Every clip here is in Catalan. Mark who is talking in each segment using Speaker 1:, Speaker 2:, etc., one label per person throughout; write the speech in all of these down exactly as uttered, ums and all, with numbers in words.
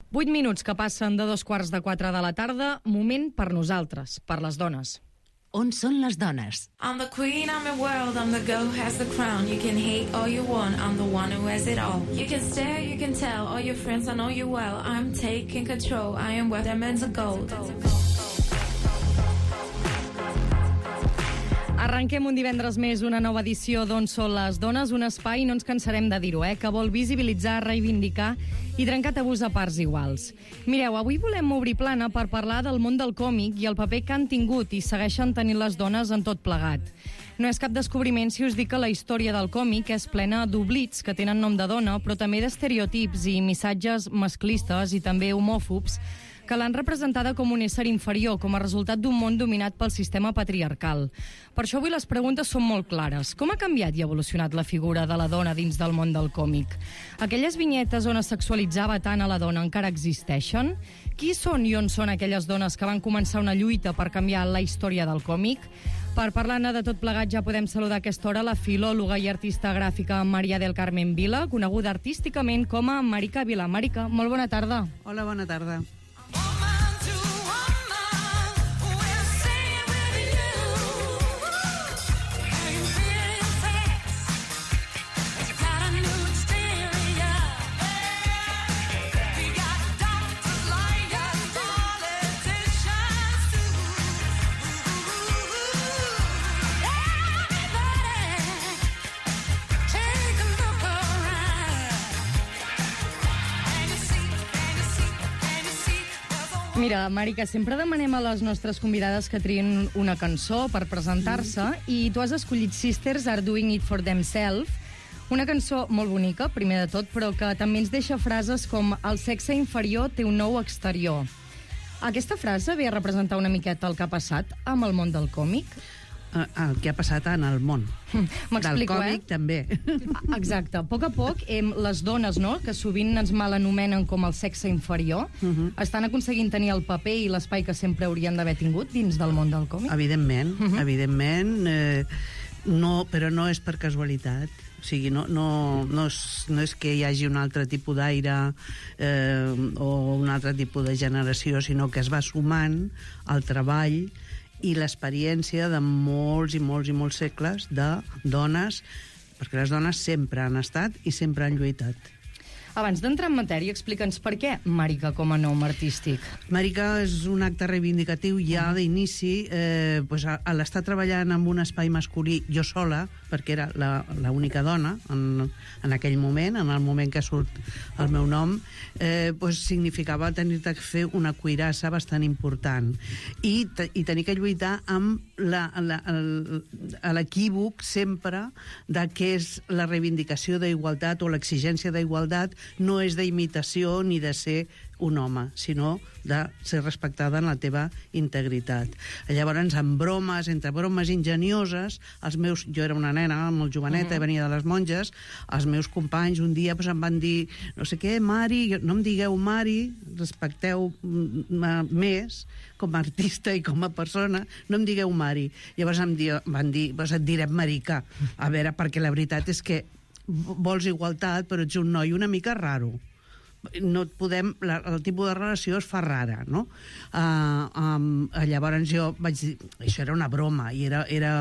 Speaker 1: Vuit minuts que passen de dos quarts de quatre de la tarda, moment per nosaltres, per les dones.
Speaker 2: On són les dones?
Speaker 3: I'm the queen, I'm the world, I'm the girl who has the crown. You can hate all you want, I'm the one who has it all. You can stare, you can tell, all your friends, I know you well. I'm taking control, I am worth diamonds of gold.
Speaker 1: Arrenquem un divendres més una nova edició d'On són les dones, un espai, no ens cansarem de dir-ho, eh, que vol visibilitzar, reivindicar i trencar tabús a parts iguals. Mireu, avui volem obrir plana per parlar del món del còmic i el paper que han tingut i segueixen tenint les dones en tot plegat. No és cap descobriment si us dic que la història del còmic és plena d'oblits que tenen nom de dona, però també d'estereotips i missatges masclistes i també homòfobs que l'han representada com un ésser inferior, com a resultat d'un món dominat pel sistema patriarcal. Per això avui les preguntes són molt clares. Com ha canviat i evolucionat la figura de la dona dins del món del còmic? Aquelles vinyetes on es sexualitzava tant a la dona encara existeixen? Qui són i on són aquelles dones que van començar una lluita per canviar la història del còmic? Per parlar-ne de tot plegat ja podem saludar a aquesta hora la filòloga i artista gràfica Maria del Carmen Vila, coneguda artísticament com a Marica Vila. Marica, molt bona tarda.
Speaker 4: Hola, bona tarda.
Speaker 1: Mira, Marica, sempre demanem a les nostres convidades que triïn una cançó per presentar-se i tu has escollit Sisters Are Doing It For Themselves, una cançó molt bonica, primer de tot, però que també ens deixa frases com el sexe inferior té un nou exterior. Aquesta frase ve a representar una miqueta el que ha passat amb el món del còmic?
Speaker 4: El que ha passat en el món. Del còmic, eh? També.
Speaker 1: Exacte. A poc a poc, eh, les dones, no?, que sovint ens mal anomenen com el sexe inferior, uh-huh. estan aconseguint tenir el paper i l'espai que sempre haurien d'haver tingut dins del món del còmic?
Speaker 4: Evidentment, uh-huh. evidentment. Eh, no, però no és per casualitat. O sigui, no, no, no, és, no és que hi hagi un altre tipus d'aire eh, o un altre tipus de generació, sinó que es va sumant al treball i l'experiència de molts i molts i molts segles de dones, perquè les dones sempre han estat i sempre han lluitat.
Speaker 1: Abans d'entrar en matèria, explica'ns per què Marica com a nom artístic.
Speaker 4: Marica és un acte reivindicatiu ja d'inici, eh, pues a, a l'estar treballant en un espai masculí jo sola, perquè era l'única dona en, en aquell moment, en el moment que surt el meu nom, eh, pues significava tenir de fer una cuirassa bastant important i, te, i tenir que lluitar amb l'equívoc sempre de què és la reivindicació d'igualtat o l'exigència d'igualtat. No és d'imitació ni de ser un home, sinó de ser respectada en la teva integritat. Llavors, amb bromes, entre bromes ingenioses, els meus, jo era una nena molt joveneta, uh-huh. venia de les monges, els meus companys un dia pues, em van dir, no sé què, Mari, no em digueu Mari, respecteu més com a artista i com a persona, no em digueu Mari. Llavors em di, van dir, pues et direm Marica. A veure, perquè la veritat és que vols igualtat, però ets un noi una mica raro. No et podem, la, el tipus de relació es fa rara, no? Uh, um, llavors jo vaig dir, això era una broma i era, era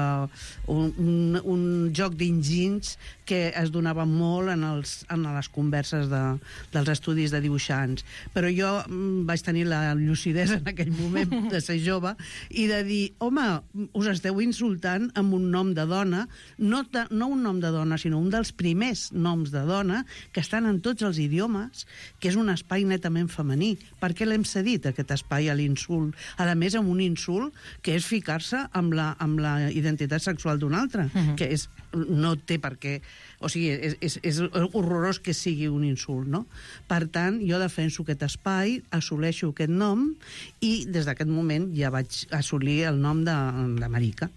Speaker 4: un, un, un joc d'enginys que es donava molt en, els, en les converses de, dels estudis de dibuixants, però jo mm, vaig tenir la lucidesa en aquell moment de ser jove i de dir, home, us esteu insultant amb un nom de dona, no, de, no un nom de dona, sinó un dels primers noms de dona que estan en tots els idiomes, que és un espai netament femení. Per què l'hem cedit, aquest espai, a l'insult? A més, amb un insult que és ficar-se amb la, amb la identitat sexual d'un altre, uh-huh. que és, no té per què... O sigui, és, és, és horrorós que sigui un insult, no? Per tant, jo defenso aquest espai, assoleixo aquest nom i des d'aquest moment ja vaig assolir el nom de, de Marica.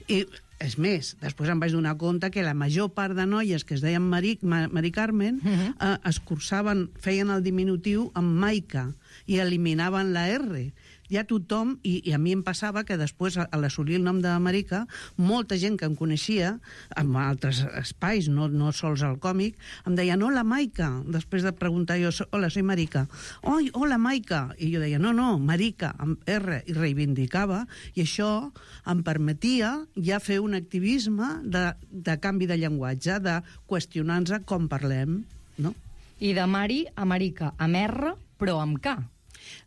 Speaker 4: I és més, després em vaig donar compte que la major part de noies que es deien Mari, Mari Carmen uh-huh. eh, es cursaven, feien el diminutiu amb Maica. i eliminaven la R. Ja tothom, i, i a mi em passava que després, a l'assolir el nom d'Amèrica, molta gent que em coneixia, en altres espais, no, no sols al còmic, em deien, hola, Maica, després de preguntar jo, hola, soy Marica. Oi, hola, Maica. I jo deia, no, no, Marica, amb R, i reivindicava, i això em permetia ja fer un activisme de, de canvi de llenguatge, de qüestionar-nos com parlem, no?
Speaker 1: I de Mari a Marica, amb R, però amb K.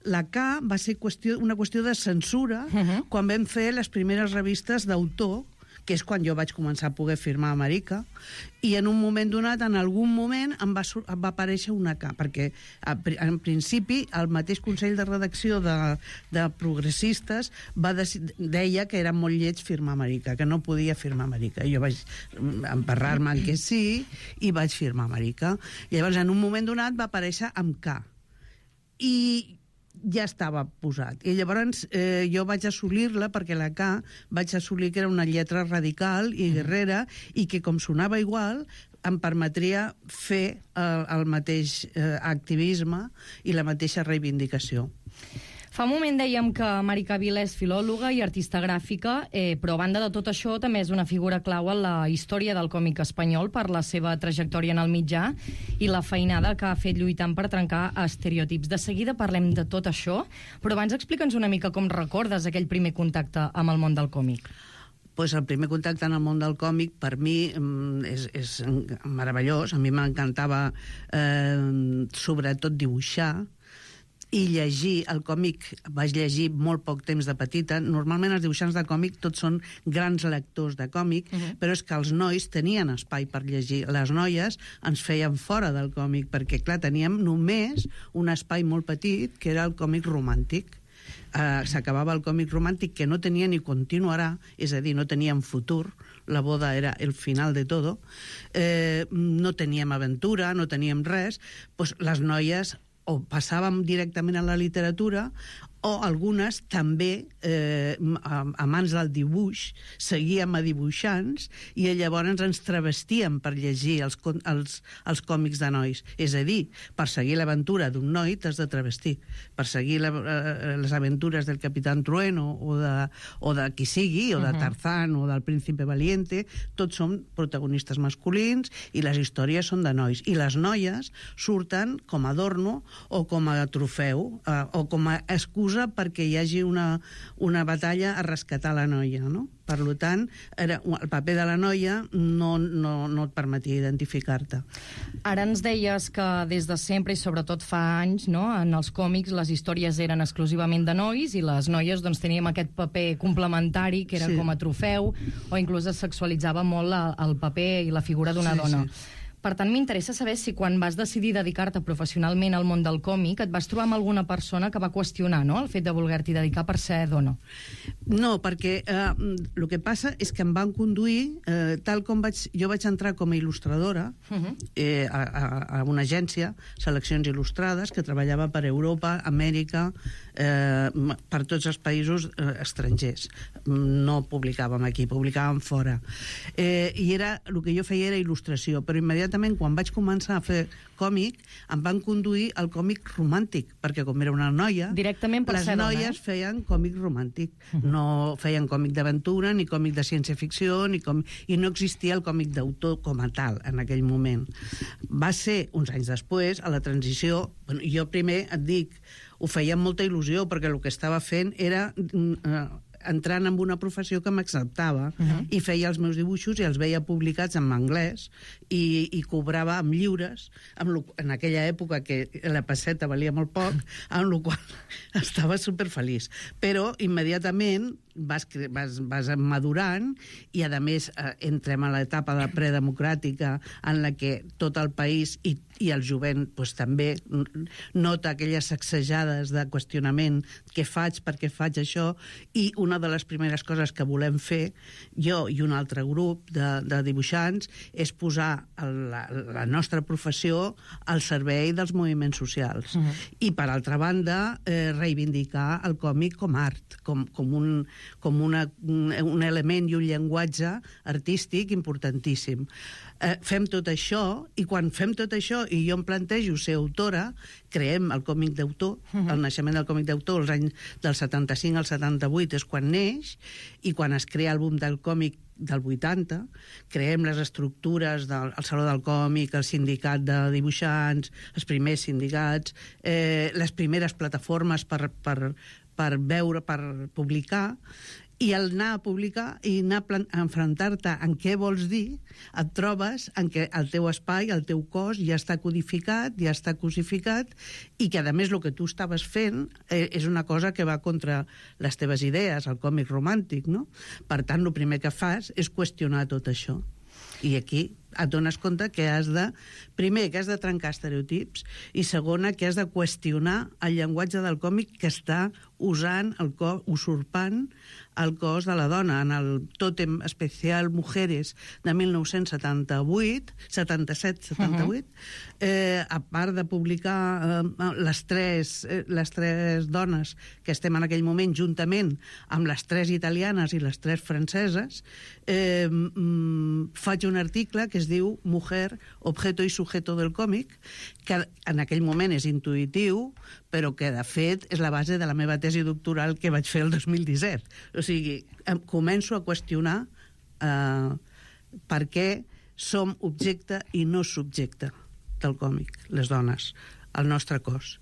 Speaker 4: La K va ser qüestió, una qüestió de censura uh -huh. quan vam fer les primeres revistes d'autor, que és quan jo vaig començar a poder firmar a Amèrica, i en un moment donat, en algun moment, em va, em va aparèixer una K, perquè en principi el mateix Consell de Redacció de, de Progressistes va deia que era molt lleig firmar a Amèrica, que no podia firmar a Amèrica. Jo vaig emparrar-me en que sí i vaig firmar a Amèrica. Llavors, en un moment donat, va aparèixer amb K. I ja estava posat. I llavors eh, jo vaig assolir-la, perquè la K vaig assolir que era una lletra radical i guerrera, i que com sonava igual em permetria fer eh, el mateix eh, activisme i la mateixa reivindicació.
Speaker 1: Fa un moment dèiem que Marica Vila és filòloga i artista gràfica, eh, però a banda de tot això també és una figura clau en la història del còmic espanyol per la seva trajectòria en el mitjà i la feinada que ha fet lluitant per trencar estereotips. De seguida parlem de tot això, però abans explica'ns una mica com recordes aquell primer contacte amb el món del còmic.
Speaker 4: Pues el primer contacte en el món del còmic per mi és, és meravellós. A mi m'encantava eh, sobretot dibuixar i llegir el còmic. Vaig llegir molt poc temps de petita. Normalment els dibuixants de còmic tots són grans lectors de còmic, uh -huh. però és que els nois tenien espai per llegir. Les noies ens feien fora del còmic, perquè, clar, teníem només un espai molt petit, que era el còmic romàntic. Uh, s'acabava el còmic romàntic, que no tenia ni continuarà, és a dir, no teníem futur, la boda era el final de todo, eh, no teníem aventura, no teníem res, doncs les noies o passàvem directament a la literatura, o algunes també, eh, a mans del dibuix, seguíem a dibuixants i llavors ens travestíem per llegir els, els, els còmics de nois. És a dir, per seguir l'aventura d'un noi t'has de travestir. Per seguir la, les aventures del Capitán Trueno o de, o de qui sigui, o de Tarzán o del Príncipe Valiente, tots són protagonistes masculins i les històries són de nois. I les noies surten com a adorno o com a trofeu eh, o com a excusa perquè hi hagi una, una batalla a rescatar la noia, no? Per tant, era, el paper de la noia no, no, no et permetia identificar-te.
Speaker 1: Ara ens deies que des de sempre, i sobretot fa anys, no, en els còmics les històries eren exclusivament de nois i les noies doncs, teníem aquest paper complementari que era sí. com a trofeu, o inclús es sexualitzava molt el paper i la figura d'una
Speaker 4: sí,
Speaker 1: dona.
Speaker 4: Sí.
Speaker 1: Per tant, m'interessa saber si quan vas decidir dedicar-te professionalment al món del còmic et vas trobar amb alguna persona que va qüestionar, no?, el fet de voler-t'hi dedicar per ser dona.
Speaker 4: No, perquè eh, el que passa és que em van conduir, eh, tal com vaig... Jo vaig entrar com a il·lustradora uh-huh. eh, a, a, a una agència, Seleccions Il·lustrades, que treballava per Europa, Amèrica, eh, per tots els països eh, estrangers. No publicàvem aquí, publicàvem fora. Eh, I era, el que jo feia era il·lustració, però immediatament quan vaig començar a fer còmic em van conduir al còmic romàntic, perquè com era una noia,
Speaker 1: directament per
Speaker 4: les
Speaker 1: ser
Speaker 4: noies
Speaker 1: dona, eh?
Speaker 4: feien còmic romàntic. Uh-huh. No feien còmic d'aventura, ni còmic de ciència-ficció, ni com... i no existia el còmic d'autor com a tal en aquell moment. Va ser uns anys després, a la transició, bueno, jo primer et dic, ho feia amb molta il·lusió, perquè el que estava fent era... Eh, entrant en una professió que m'acceptava uh-huh. i feia els meus dibuixos i els veia publicats en anglès i, i cobrava amb lliures, amb lo, en aquella època que la pesseta valia molt poc, amb la qual estava superfeliç. Però immediatament vas, vas, vas madurant i, a més, eh, entrem a l'etapa de predemocràtica en la que tot el país i, i el jovent pues, també nota aquelles sacsejades de qüestionament, què faig, per què faig això, i una de les primeres coses que volem fer, jo i un altre grup de, de dibuixants, és posar el, la, la nostra professió al servei dels moviments socials. Uh-huh. I, per altra banda, eh, reivindicar el còmic com art, com, com un com una, un element i un llenguatge artístic importantíssim. Eh, fem tot això, i quan fem tot això, i jo em plantejo ser autora, creem el còmic d'autor, uh-huh. el naixement del còmic d'autor, els anys del setanta-cinc al setanta-vuit és quan neix, i quan es crea el boom del còmic del vuitanta, creem les estructures del el Saló del Còmic, el sindicat de dibuixants, els primers sindicats, eh, les primeres plataformes per, per, per veure, per publicar, i al anar a publicar i anar a enfrontar-te en què vols dir, et trobes en què el teu espai, el teu cos ja està codificat, ja està cosificat, i que, a més, el que tu estaves fent eh, és una cosa que va contra les teves idees, el còmic romàntic, no? Per tant, el primer que fas és qüestionar tot això. I aquí et dones compte que has de... Primer, que has de trencar estereotips, i segona, que has de qüestionar el llenguatge del còmic que està usant, el cos, usurpant el cos de la dona. En el Tòtem Especial Mujeres de mil nou-cents setanta-vuit, setanta-set setanta-vuit, uh-huh. eh, a part de publicar eh, les, tres, eh, les tres dones que estem en aquell moment, juntament amb les tres italianes i les tres franceses, eh, mm, faig un article que es diu Mujer, objeto i sujeto del còmic, que en aquell moment és intuïtiu, però que, de fet, és la base de la meva tesi doctoral que vaig fer el dos mil disset. O sigui, començo a qüestionar eh, per què som objecte i no subjecte del còmic, les dones, el nostre cos.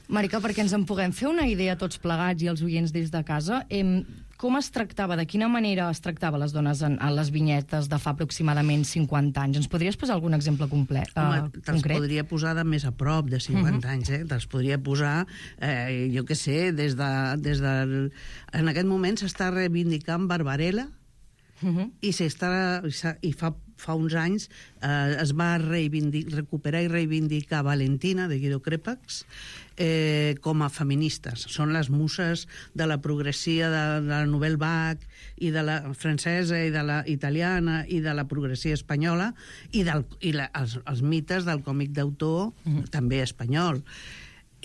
Speaker 1: Marica, perquè ens en puguem fer una idea tots plegats i els oients des de casa, eh, com es tractava, de quina manera es tractava les dones en, en les vinyetes de fa aproximadament cinquanta anys? Ens podries posar algun exemple complet, uh,
Speaker 4: Home, te'ls
Speaker 1: concret?
Speaker 4: podria posar de més a prop de cinquanta uh-huh. anys, eh? Te'ls podria posar, eh, jo què sé, des de, des de... En aquest moment s'està reivindicant Barbarella, uh-huh. i, s'està, i fa, fa uns anys eh, es va recuperar i reivindicar Valentina, de Guido Crepax, eh, com a feministes. Són les muses de la progressia de, de la Nouvelle Vague, i de la francesa, i de la italiana, i de la progressia espanyola, i, del, i la, els, els mites del còmic d'autor, mm-hmm. també espanyol.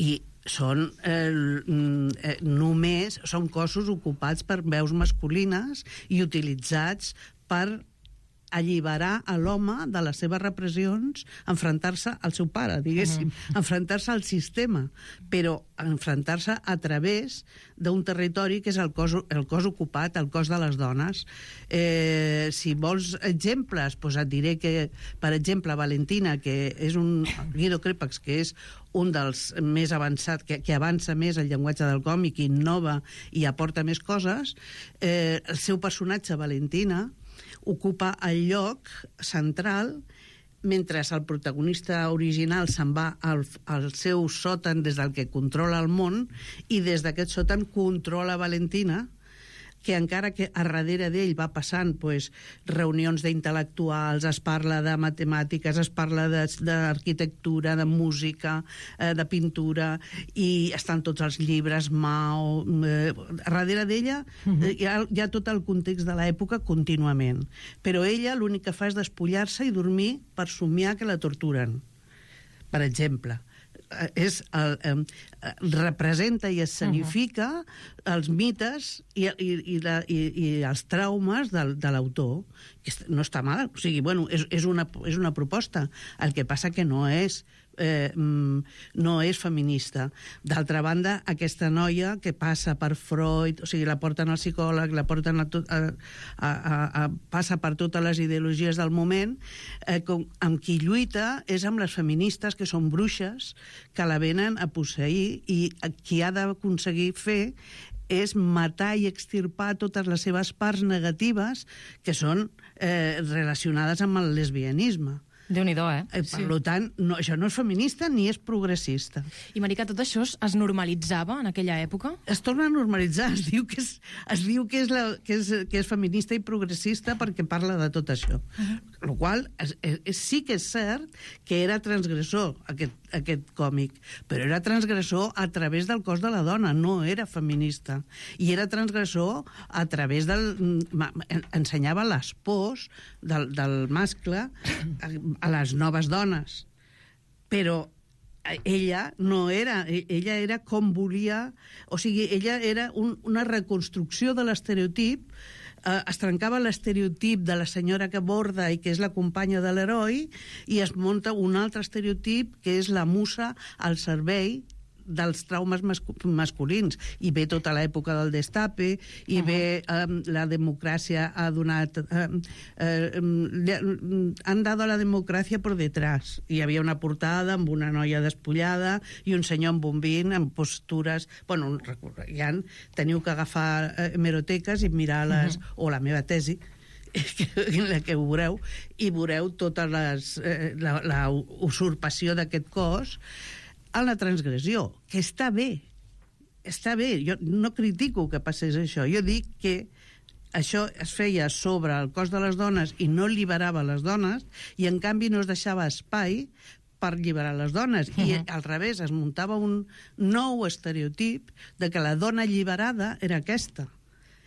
Speaker 4: I són eh, eh, només són cossos ocupats per veus masculines i utilitzats per alliberar a l'home de les seves repressions, enfrontar-se al seu pare, diguéssim, uh-huh. enfrontar-se al sistema, però enfrontar-se a través d'un territori que és el cos, el cos ocupat, el cos de les dones. Eh, si vols exemples, doncs et diré que, per exemple, Valentina, que és un Guido Crepax, que és un dels més avançats, que, que avança més el llenguatge del còmic, innova i aporta més coses, eh, el seu personatge, Valentina, ocupa el lloc central mentre el protagonista original se'n va al, al seu sòtan des del que controla el món, i des d'aquest sòtan controla Valentina, que encara que a darrere d'ell va passant pues, reunions d'intel·lectuals, es parla de matemàtiques, es parla d'arquitectura, de, de música, eh, de pintura, i estan tots els llibres, Mao... Eh, a darrere d'ella uh-huh. eh, hi, ha, hi ha tot el context de l'època contínuament. Però ella l'únic que fa és despullar-se i dormir per somiar que la torturen, per exemple. És el, eh, representa i escenifica uh-huh. els mites i, i, i, la, i, i els traumes de, de l'autor, que no està mal, o sigui, bueno, és, és, una, és una proposta, el que passa que no és eh, no és feminista. D'altra banda, aquesta noia que passa per Freud, o sigui, la porten al psicòleg, la porten a tot, a, a, a, a, passa per totes les ideologies del moment, eh, com, amb qui lluita és amb les feministes, que són bruixes, que la venen a posseir, i qui ha d'aconseguir fer és matar i extirpar totes les seves parts negatives que són eh, relacionades amb el lesbianisme.
Speaker 1: Déu-n'hi-do, eh?
Speaker 4: eh per sí. tant, no, això no és feminista ni és progressista.
Speaker 5: I, Marica, tot això es normalitzava en aquella època?
Speaker 4: Es torna a normalitzar, es diu que és, es diu que és, la, que és, que és feminista i progressista perquè parla de tot això. Uh-huh. El qual és, és, sí que és cert que era transgressor, aquest, aquest còmic, però era transgressor a través del cos de la dona, no era feminista. I era transgressor a través del... ensenyava les pors del, del mascle a, a les noves dones. Però ella no era... Ella era com volia... O sigui, ella era un, una reconstrucció de l'estereotip eh, es trencava l'estereotip de la senyora que borda i que és la companya de l'heroi i es munta un altre estereotip que és la musa al servei dels traumes mascu masculins. I ve tota l'època del destape, i uh -huh. ve eh, la democràcia ha donat... Eh, eh, han dado la democràcia por detrás. Hi havia una portada amb una noia despullada i un senyor amb bombín, amb postures... Bueno, ja teniu que agafar eh, hemeroteques i mirar les... Uh -huh. o la meva tesi, en la que ho veureu, i veureu tota les, eh, la, la usurpació d'aquest cos a la transgressió, que està bé, està bé, jo no critico que passés això, jo dic que això es feia sobre el cos de les dones i no alliberava les dones, i en canvi no es deixava espai per alliberar les dones, uh -huh. i al revés es muntava un nou estereotip de que la dona alliberada era aquesta,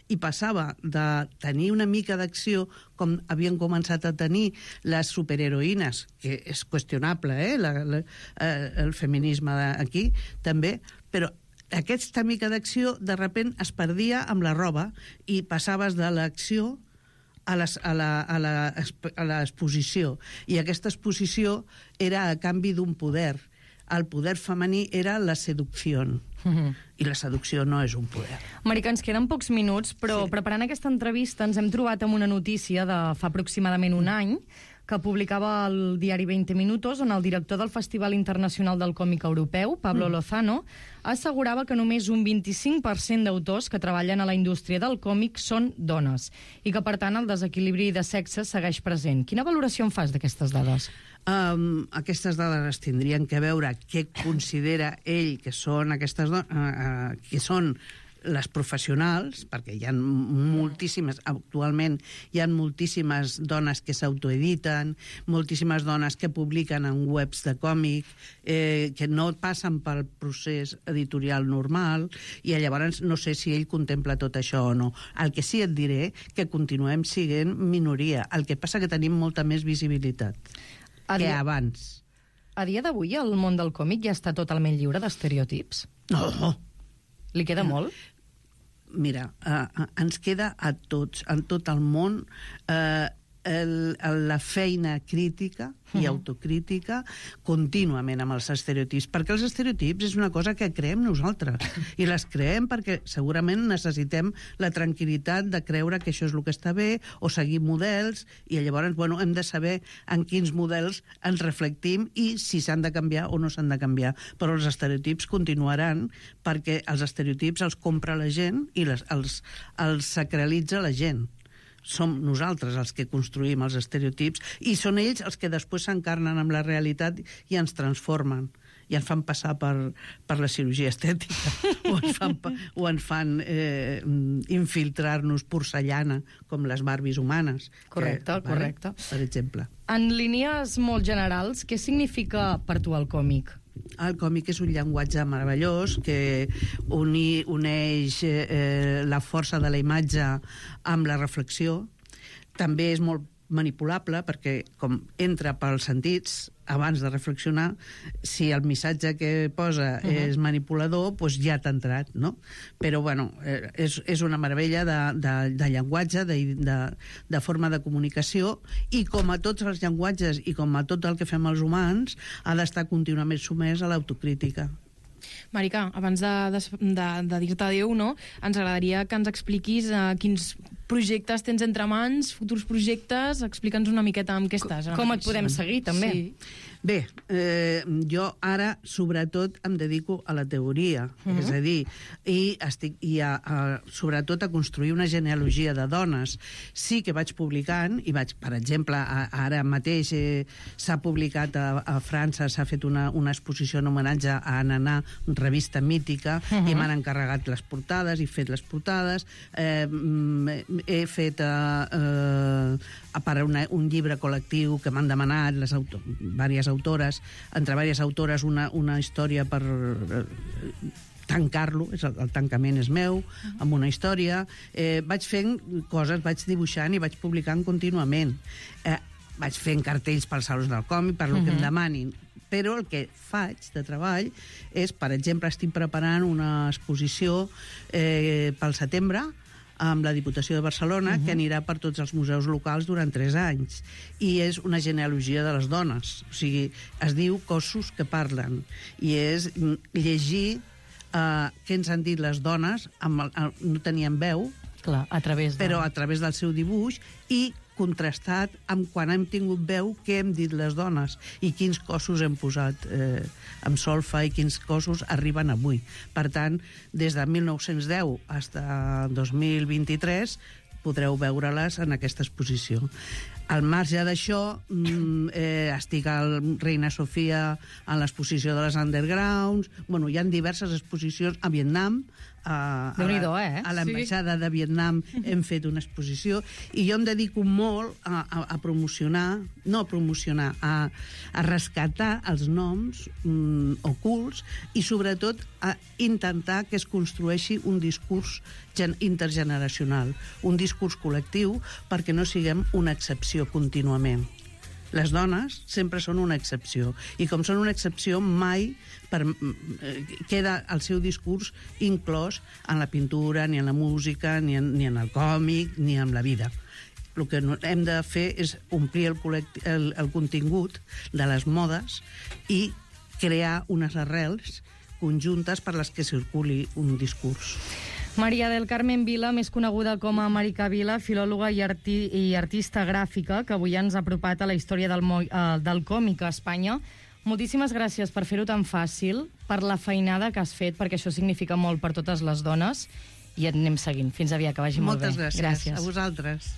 Speaker 4: i passava de tenir una mica d'acció com havien començat a tenir les superheroïnes, que és qüestionable, eh, la, la, eh el feminisme aquí també, però aquesta mica d'acció de sobte es perdia amb la roba i passaves de l'acció a les, a la, a la, a l'exposició, i aquesta exposició era a canvi d'un poder. El poder femení era la seducció. Uh-huh. I la seducció no és un poder.
Speaker 1: Marica, ens queden pocs minuts, però sí. preparant aquesta entrevista ens hem trobat amb una notícia de fa aproximadament un any que publicava el diari veinte minutos, on el director del Festival Internacional del Còmic Europeu, Pablo mm. Lozano, assegurava que només un vint-i-cinc per cent d'autors que treballen a la indústria del còmic són dones, i que, per tant, el desequilibri de sexes segueix present. Quina valoració en fas d'aquestes dades?
Speaker 4: Um, aquestes dades tindrien que veure què considera ell que són aquestes dones, uh, uh, que són les professionals, perquè hi ha moltíssimes, actualment hi ha moltíssimes dones que s'autoediten, moltíssimes dones que publiquen en webs de còmic, eh, que no passen pel procés editorial normal, i llavors no sé si ell contempla tot això o no. El que sí et diré que continuem sent minoria, el que passa que tenim molta més visibilitat a que dia... abans.
Speaker 1: A dia d'avui el món del còmic ja està totalment lliure d'estereotips?
Speaker 4: No.
Speaker 1: Li queda molt?
Speaker 4: Mira, uh, ens queda a tots, en tot el món, uh, el, el, la feina crítica i uh-huh. autocrítica contínuament amb els estereotips, perquè els estereotips és una cosa que creem nosaltres, i les creem perquè segurament necessitem la tranquil·litat de creure que això és el que està bé, o seguir models, i llavors bueno, hem de saber en quins models ens reflectim i si s'han de canviar o no s'han de canviar. Però els estereotips continuaran, perquè els estereotips els compra la gent i les, els, els sacralitza la gent. Som nosaltres els que construïm els estereotips, i són ells els que després s'encarnen amb la realitat i ens transformen, i ens fan passar per, per la cirurgia estètica, o ens fan, o ens fan eh, infiltrar-nos porcellana, com les Barbies humanes.
Speaker 1: Correcte, que, correcte.
Speaker 4: Vale? Per exemple.
Speaker 1: En línies molt generals, què significa per tu el còmic?
Speaker 4: El còmic és un llenguatge meravellós que uni, uneix eh, la força de la imatge amb la reflexió. També és molt manipulable perquè, com entra pels sentits, abans de reflexionar, si el missatge que posa uh-huh. és manipulador, doncs ja t'ha entrat, no? Però, bueno, és, és una meravella de, de, de llenguatge, de, de, de forma de comunicació, i com a tots els llenguatges i com a tot el que fem els humans, ha d'estar contínuament sumès a l'autocrítica.
Speaker 5: Marica, abans de, de, de, de dir-te adéu, no? Ens agradaria que ens expliquis uh, quins projectes tens entre mans, futurs projectes, explica'ns una miqueta amb què estàs.
Speaker 1: Com et podem seguir, també.
Speaker 5: Sí.
Speaker 4: Bé, eh, jo ara, sobretot, em dedico a la teoria, uh-huh. és a dir, i estic i a, a, sobretot a construir una genealogia de dones. Sí que vaig publicant, i vaig, per exemple, a, ara mateix eh, s'ha publicat a, a França, s'ha fet una, una exposició en homenatge a Ananá, revista mítica, uh-huh. i m'han encarregat les portades, i fet les portades, eh, he fet eh, eh, per una, un llibre col·lectiu que m'han demanat les auto, diverses autores, entre diverses autores una, una història per eh, tancar-lo, el, el tancament és meu, uh-huh. amb una història. Eh, vaig fent coses, vaig dibuixant i vaig publicant contínuament. Eh, vaig fent cartells pels salons del còmic, per lo uh-huh. que em demanin. Però el que faig de treball és, per exemple, estic preparant una exposició eh, pel setembre amb la Diputació de Barcelona, uh -huh. que anirà per tots els museus locals durant tres anys. I és una genealogia de les dones. O sigui, es diu Cossos que parlen. I és llegir uh, què ens han dit les dones, amb el, el, no tenien veu,
Speaker 1: clar, a través de...
Speaker 4: però a través del seu dibuix, i contrastat amb quan hem tingut veu què hem dit les dones i quins cossos hem posat eh, amb solfa i quins cossos arriben avui. Per tant, des de mil nou-cents deu fins a dos mil vint-i-tres podreu veure-les en aquesta exposició. Al marge d'això, eh, estic al Reina Sofia en l'exposició de les Undergrounds. Bueno, hi ha diverses exposicions a Vietnam. A, a,
Speaker 1: eh?
Speaker 4: a l'ambaixada sí. de Vietnam hem fet una exposició i jo em dedico molt a, a, a promocionar, no a promocionar, a, a rescatar els noms mm, ocults i sobretot a intentar que es construeixi un discurs intergeneracional, un discurs col·lectiu perquè no siguem una excepció contínuament. Les dones sempre són una excepció i com són una excepció mai per, eh, queda el seu discurs inclòs en la pintura, ni en la música, ni en, ni en el còmic, ni en la vida. El que hem de fer és omplir el, el, el contingut de les modes i crear unes arrels conjuntes per les que circuli un discurs.
Speaker 1: Maria del Carmen Vila, més coneguda com a Marica Vila, filòloga i, arti i artista gràfica, que avui ens ha apropat a la història del, uh, del còmic a Espanya. Moltíssimes gràcies per fer-ho tan fàcil, per la feinada que has fet, perquè això significa molt per totes les dones, i et anem seguint. Fins aviat, que vagi molt bé.
Speaker 4: Moltes gràcies. gràcies. A vosaltres.